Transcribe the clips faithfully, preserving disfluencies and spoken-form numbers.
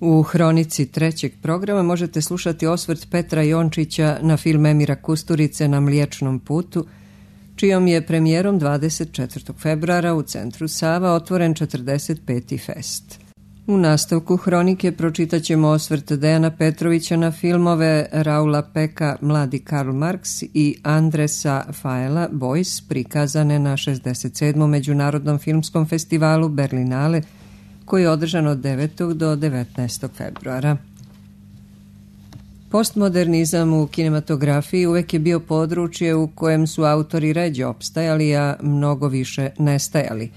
U hronici trećeg programa možete slušati osvrt Petra Jončića na film Emira Kusturice Na Mliječnom putu, čijom je premijerom dvadeset četvrtog februara u centru Sava otvoren četrdeset peti fest. U nastavku hronike pročitat ćemo osvrt Dejana Petrovića na filmove Raula Peka Mladi Karl Marx i Andresa Faela Boys, prikazane na šezdeset sedmom Međunarodnom filmskom festivalu Berlinale, koji je održan od devetog do devetnaestog februara. Postmodernizam u kinematografiji uvek je bio područje u kojem su autori ređe opstajali, a mnogo više nestajali.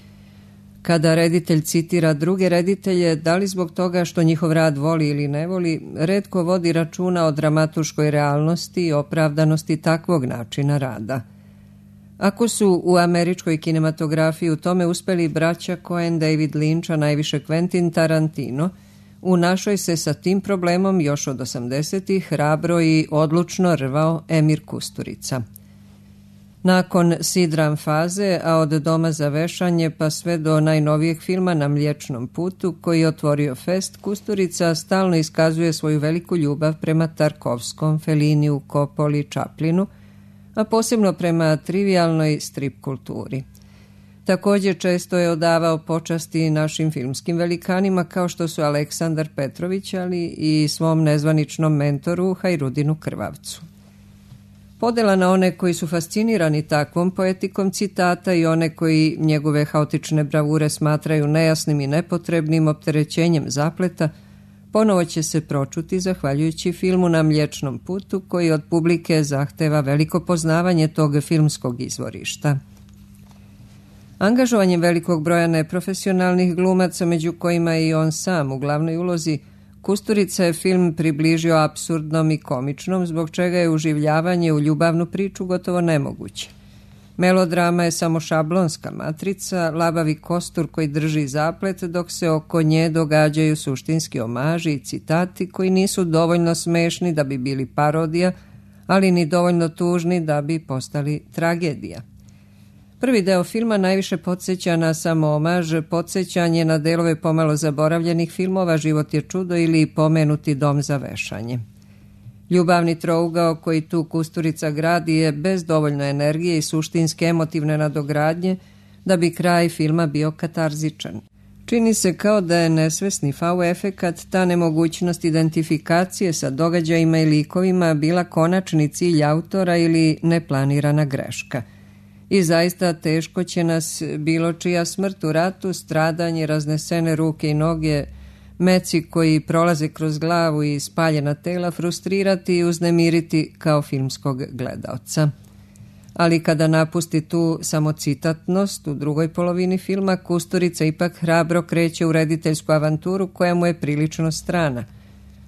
Kada reditelj citira druge reditelje, da li zbog toga što njihov rad voli ili ne voli, retko vodi računa o dramaturškoj realnosti i opravdanosti takvog načina rada. Ako su u američkoj kinematografiji u tome uspeli braća Coen, David Lynch, a najviše Quentin Tarantino, u našoj se sa tim problemom još od osamdesetih hrabro i odlučno rvao Emir Kusturica. Nakon sidram faze, a od Doma za vešanje pa sve do najnovijeg filma Na Mliječnom putu, koji je otvorio fest, Kusturica stalno iskazuje svoju veliku ljubav prema Tarkovskom, Felliniju, Coppoli, Chaplinu, a posebno prema trivialnoj strip kulturi. Također često je odavao počasti našim filmskim velikanima kao što su Aleksandar Petrović, ali i svom nezvaničnom mentoru Hajrudinu Krvavcu. Podela na one koji su fascinirani takvom poetikom citata i one koji njegove haotične bravure smatraju nejasnim i nepotrebnim opterećenjem zapleta, ponovo će se pročuti zahvaljujući filmu Na Mliječnom putu, koji od publike zahteva veliko poznavanje tog filmskog izvorišta. Angažovanjem velikog broja neprofesionalnih glumaca, među kojima je i on sam u glavnoj ulozi, Kusturica je film približio apsurdnom i komičnom, zbog čega je uživljavanje u ljubavnu priču gotovo nemoguće. Melodrama je samo šablonska matrica, labavi kostur koji drži zaplet, dok se oko nje događaju suštinski omaži i citati koji nisu dovoljno smešni da bi bili parodija, ali ni dovoljno tužni da bi postali tragedija. Prvi deo filma najviše podsjeća na samo omaž, podsjećanje na delove pomalo zaboravljenih filmova Život je čudo ili pomenuti Dom za vešanje. Ljubavni trougao koji tu Kusturica gradi je bez dovoljno energije i suštinske emotivne nadogradnje da bi kraj filma bio katarzičan. Čini se kao da je nesvesni fau efekat, ta nemogućnost identifikacije sa događajima i likovima bila konačni cilj autora ili neplanirana greška. I zaista teško će nas bilo čija smrt u ratu, stradanje, raznesene ruke i noge, meci koji prolaze kroz glavu i spaljena tela frustrirati i uznemiriti kao filmskog gledaoca. Ali kada napusti tu samocitatnost u drugoj polovini filma, Kusturica ipak hrabro kreće u rediteljsku avanturu koja mu je prilično strana.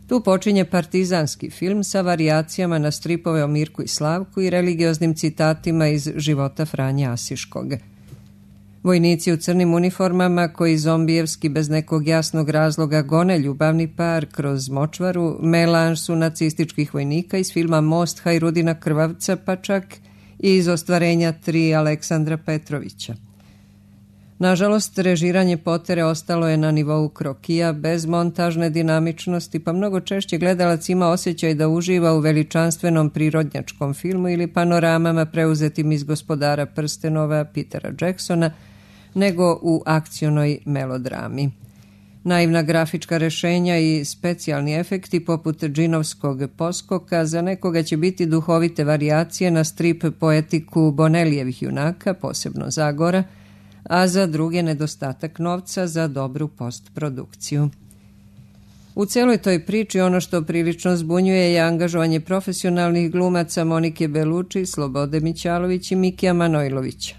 Tu počinje partizanski film sa varijacijama na stripove o Mirku i Slavku i religioznim citatima iz života Franje Asiškog. Vojnici u crnim uniformama koji zombijevski bez nekog jasnog razloga gone ljubavni par kroz močvaru, melanž su nacističkih vojnika iz filma Most Hajrudina Krvavca, pa čak i iz ostvarenja tri Aleksandra Petrovića. Nažalost, režiranje Potere ostalo je na nivou krokija, bez montažne dinamičnosti, pa mnogo češće gledalac ima osjećaj da uživa u veličanstvenom prirodnjačkom filmu ili panoramama preuzetim iz Gospodara prstenova Petera Jacksona, nego u akcionoj melodrami. Naivna grafička rešenja i specijalni efekti poput džinovskog poskoka za nekoga će biti duhovite varijacije na strip poetiku Bonelijevih junaka, posebno Zagora, a za druge nedostatak novca za dobru postprodukciju. U celoj toj priči ono što prilično zbunjuje je angažovanje profesionalnih glumaca Monike Beluči, Slobode Mićalović i Mikija Manojlovića.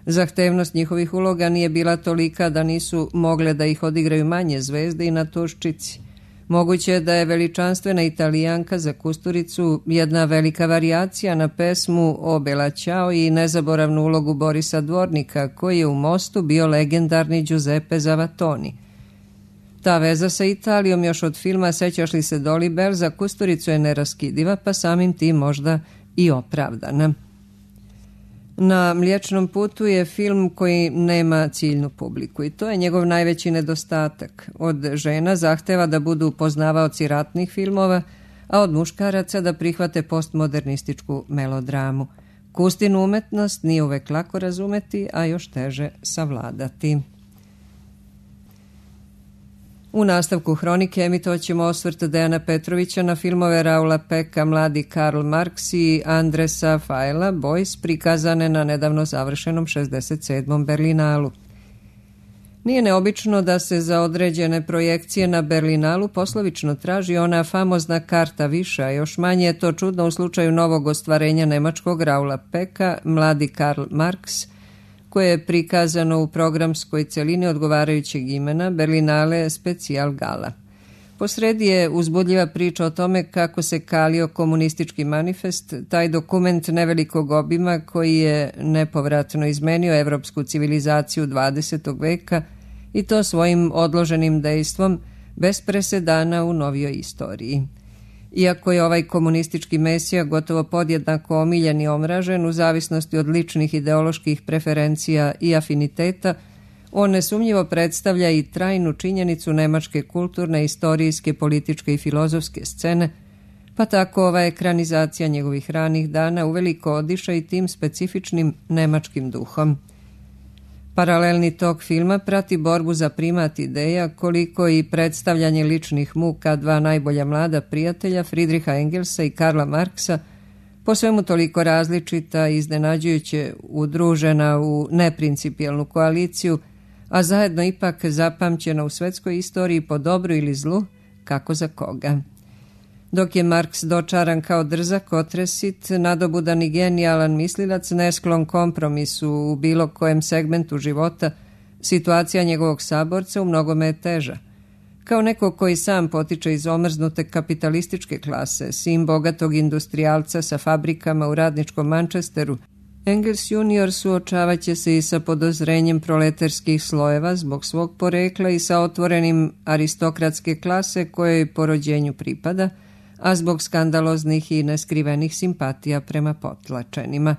Zahtevnost njihovih uloga nije bila tolika da nisu mogle da ih odigraju manje zvezde i na Tuščici. Moguće je da je veličanstvena Italijanka za Kusturicu jedna velika varijacija na pesmu O Bella Ciao i nezaboravnu ulogu Borisa Dvornika, koji je u Mostu bio legendarni Giuseppe Zavatoni. Ta veza sa Italijom još od filma Sećaš li se Dolly Bell za Kusturicu je neraskidiva, pa samim tim možda i opravdana. Na Mliječnom putu je film koji nema ciljnu publiku i to je njegov najveći nedostatak. Od žena zahteva da budu poznavaoci ratnih filmova, a od muškaraca da prihvate postmodernističku melodramu. Kustinu umetnost nije uvek lako razumeti, a još teže savladati. U nastavku hronike emitovat ćemo osvrt Dejana Petrovića na filmove Raula Peka, Mladi Karl Marx i Andresa Fajla, Boys, prikazane na nedavno završenom šezdeset sedmom Berlinalu. Nije neobično da se za određene projekcije na Berlinalu poslovično traži ona famozna karta više, a još manje je to čudno u slučaju novog ostvarenja nemačkog Raula Peka, Mladi Karl Marx, koje je prikazano u programskoj celini odgovarajućeg imena Berlinale Specijal Gala. Posredi je uzbudljiva priča o tome kako se kalio komunistički manifest, taj dokument nevelikog obima koji je nepovratno izmenio evropsku civilizaciju dvadesetog veka i to svojim odloženim dejstvom bez presedana u novijoj istoriji. Iako je ovaj komunistički mesija gotovo podjednako omiljen i omražen u zavisnosti od ličnih ideoloških preferencija i afiniteta, on nesumnjivo predstavlja i trajnu činjenicu nemačke kulturne, istorijske, političke i filozofske scene, pa tako ova ekranizacija njegovih ranih dana uveliko odiša i tim specifičnim nemačkim duhom. Paralelni tok filma prati borbu za primat ideja, koliko i predstavljanje ličnih muka dva najbolja mlada prijatelja Friedricha Engelsa i Karla Marksa, po svemu toliko različita i iznenađujuće udružena u neprincipijelnu koaliciju, a zajedno ipak zapamćena u svetskoj istoriji po dobru ili zlu, kako za koga. Dok je Marks dočaran kao drzak, otresit, nadobudan i genijalan mislilac, nesklon kompromisu u bilo kojem segmentu života, situacija njegovog saborca u mnogome je teža. Kao neko koji sam potiče iz omrznute kapitalističke klase, sin bogatog industrijalca sa fabrikama u radničkom Manchesteru, Engels junior suočavaće se i sa podozrenjem proletarskih slojeva zbog svog porekla i sa otvorenim aristokratske klase kojoj po rođenju pripada, a zbog skandaloznih i neskrivenih simpatija prema potlačenima.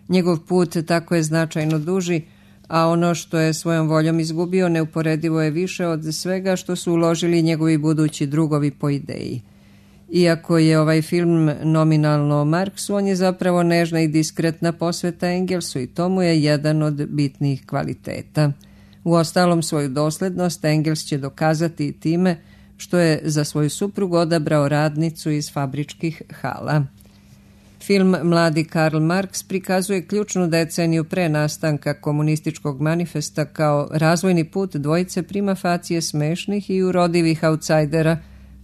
Njegov put tako je značajno duži, a ono što je svojom voljom izgubio neuporedivo je više od svega što su uložili njegovi budući drugovi po ideji. Iako je ovaj film nominalno o Marksu, on je zapravo nežna i diskretna posveta Engelsu i to mu je jedan od bitnijih kvaliteta. Uostalom, svoju doslednost Engels će dokazati i time što je za svoju suprugu odabrao radnicu iz fabričkih hala. Film Mladi Karl Marx prikazuje ključnu deceniju pre nastanka komunističkog manifesta kao razvojni put dvojice prima facije smešnih i urodivih autsajdera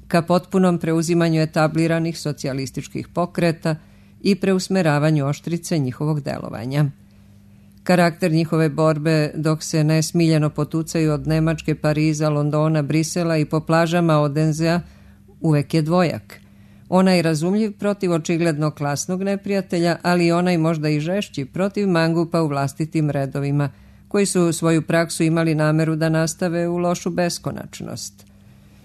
ka potpunom preuzimanju etabliranih socijalističkih pokreta i preusmeravanju oštrice njihovog delovanja. Karakter njihove borbe, dok se nesmiljeno potucaju od Nemačke, Pariza, Londona, Brisela i po plažama Odenzea, uvek je dvojak. Onaj razumljiv protiv očigledno klasnog neprijatelja, ali i onaj možda i žešći protiv mangupa u vlastitim redovima, koji su svoju praksu imali nameru da nastave u lošu beskonačnost.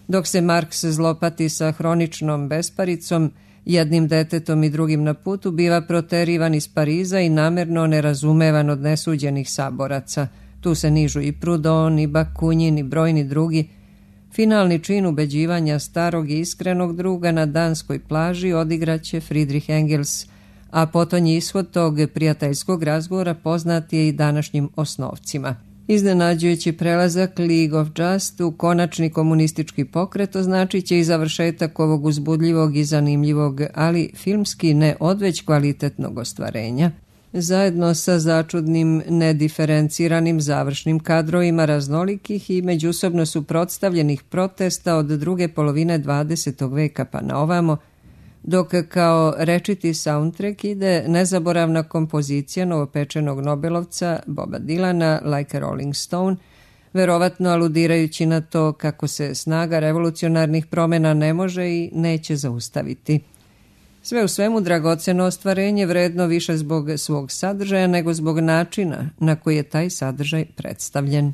Dok se Marks zlopati sa hroničnom besparicom, jednim detetom i drugim na putu, biva proterivan iz Pariza i namerno nerazumevan od nesuđenih saboraca. Tu se nižu i Proudhon, i Bakunin, i brojni drugi. Finalni čin ubeđivanja starog i iskrenog druga na danskoj plaži odigraće Friedrich Engels, a potonji ishod tog prijateljskog razgovora poznat je i današnjim osnovcima. Iznenađujući prelazak League of Just u konačni komunistički pokret označit će i završetak ovog uzbudljivog i zanimljivog, ali filmski ne odveć kvalitetnog ostvarenja, zajedno sa začudnim, nediferenciranim završnim kadrovima raznolikih i međusobno suprotstavljenih protesta od druge polovine dvadesetog veka pa na ovamo, dok kao rečiti soundtrack ide nezaboravna kompozicija novopečenog Nobelovca Boba Dylana Like a Rolling Stone, verovatno aludirajući na to kako se snaga revolucionarnih promjena ne može i neće zaustaviti. Sve u svemu dragoceno ostvarenje, vredno više zbog svog sadržaja nego zbog načina na koji je taj sadržaj predstavljen.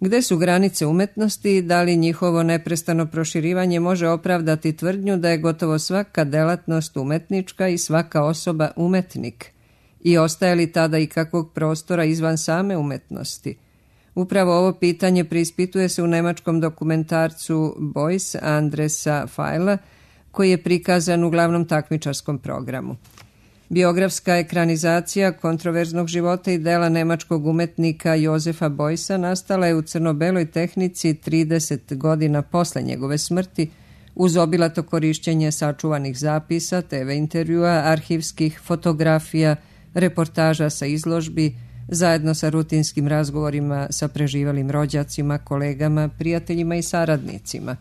Gde su granice umetnosti i da li njihovo neprestano proširivanje može opravdati tvrdnju da je gotovo svaka delatnost umetnička i svaka osoba umetnik? I ostaje li tada i kakvog prostora izvan same umetnosti? Upravo ovo pitanje preispituje se u nemačkom dokumentarcu Boys Andresa Feila, koji je prikazan u glavnom takmičarskom programu. Biografska ekranizacija kontroverznog života i dela nemačkog umetnika Josefa Beusa nastala je u crno-beloj tehnici trideset godina posle njegove smrti, uz obilato korišćenje sačuvanih zapisa, te ve intervjua, arhivskih fotografija, reportaža sa izložbi, zajedno sa rutinskim razgovorima sa preživalim rođacima, kolegama, prijateljima i saradnicima.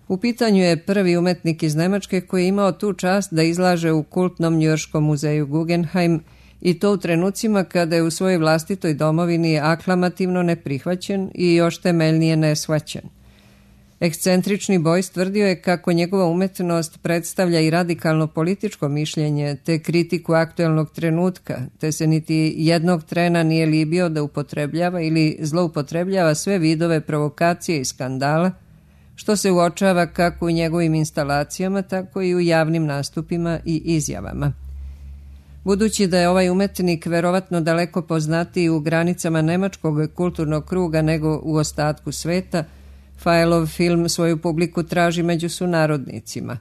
U pitanju je prvi umetnik iz Nemačke koji je imao tu čast da izlaže u kultnom njujorškom muzeju Guggenheim, i to u trenucima kada je u svojoj vlastitoj domovini aklamativno neprihvaćen i još temeljnije neshvaćen. Ekscentrični Beuys tvrdio je kako njegova umetnost predstavlja i radikalno političko mišljenje te kritiku aktuelnog trenutka, te se niti jednog trena nije libio da upotrebljava ili zloupotrebljava sve vidove provokacije i skandala, što se uočava kako u njegovim instalacijama, tako i u javnim nastupima i izjavama. Budući da je ovaj umetnik verovatno daleko poznatiji u granicama nemačkog kulturnog kruga nego u ostatku sveta, Feilov film svoju publiku traži među sunarodnicima.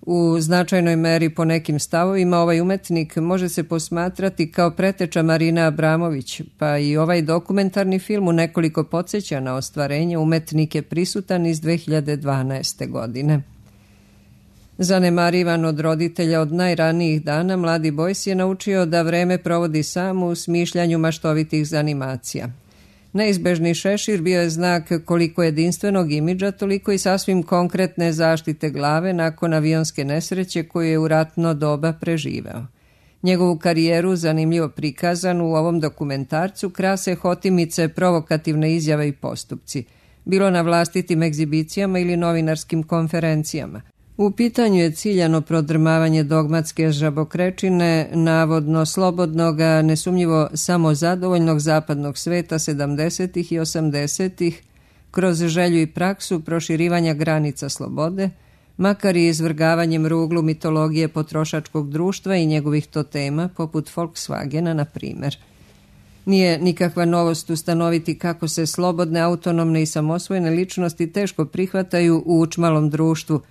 U značajnoj meri po nekim stavovima ovaj umetnik može se posmatrati kao preteča Marina Abramović, pa i ovaj dokumentarni film u nekoliko podsjeća na ostvarenje umetnik je prisutan iz dve hiljade dvanaeste. godine. Zanemarivan od roditelja od najranijih dana, mladi Beuys je naučio da vreme provodi sam u smišljanju maštovitih zanimacija. Neizbežni šešir bio je znak koliko jedinstvenog imidža, toliko i sasvim konkretne zaštite glave nakon avionske nesreće koju je u ratno doba preživeo. Njegovu karijeru, zanimljivo prikazanu u ovom dokumentarcu, krase hotimice, provokativne izjave i postupci, bilo na vlastitim egzibicijama ili novinarskim konferencijama. U pitanju je ciljano prodrmavanje dogmatske žabokrečine, navodno slobodnog, a nesumnjivo samozadovoljnog zapadnog sveta sedamdesetih i osamdesetih, kroz želju i praksu proširivanja granica slobode, makar i izvrgavanjem ruglu mitologije potrošačkog društva i njegovih totema, poput Volkswagena, na primjer. Nije nikakva novost ustanoviti kako se slobodne, autonomne i samosvojene ličnosti teško prihvataju u učmalom društvu,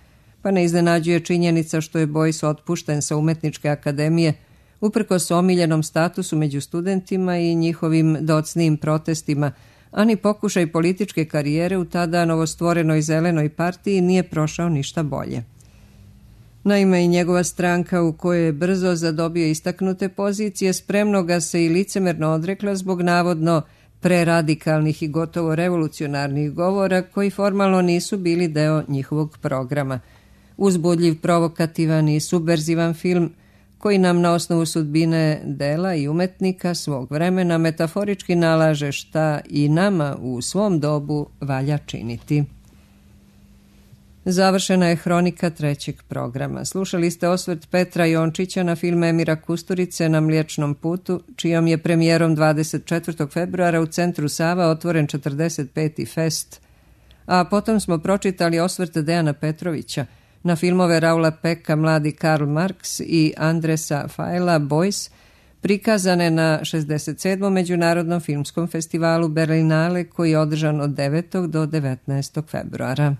pa ne iznenađuje činjenica što je Beuys otpušten sa Umetničke akademije uprkos omiljenom statusu među studentima i njihovim docnijim protestima, a ni pokušaj političke karijere u tada novostvorenoj zelenoj partiji nije prošao ništa bolje. Naime, i njegova stranka, u kojoj je brzo zadobio istaknute pozicije, spremno ga se i licemerno odrekla zbog navodno preradikalnih i gotovo revolucionarnih govora koji formalno nisu bili deo njihovog programa. Uzbudljiv, provokativan i subverzivan film koji nam na osnovu sudbine dela i umetnika svog vremena metaforički nalaže šta i nama u svom dobu valja činiti. Završena je hronika trećeg programa. Slušali ste osvrt Petra Jončića na film Emira Kusturice Na Mliječnom putu, čijom je premijerom dvadeset četvrtog februara u Centru Sava otvoren četrdeset peti fest, a potom smo pročitali osvrt Dejana Petrovića na filmove Raula Peka Mladi Karl Marx i Andresa Feila Boys, prikazane na šezdeset sedmom Međunarodnom filmskom festivalu Berlinale koji je održan od devetog do devetnaestog februara.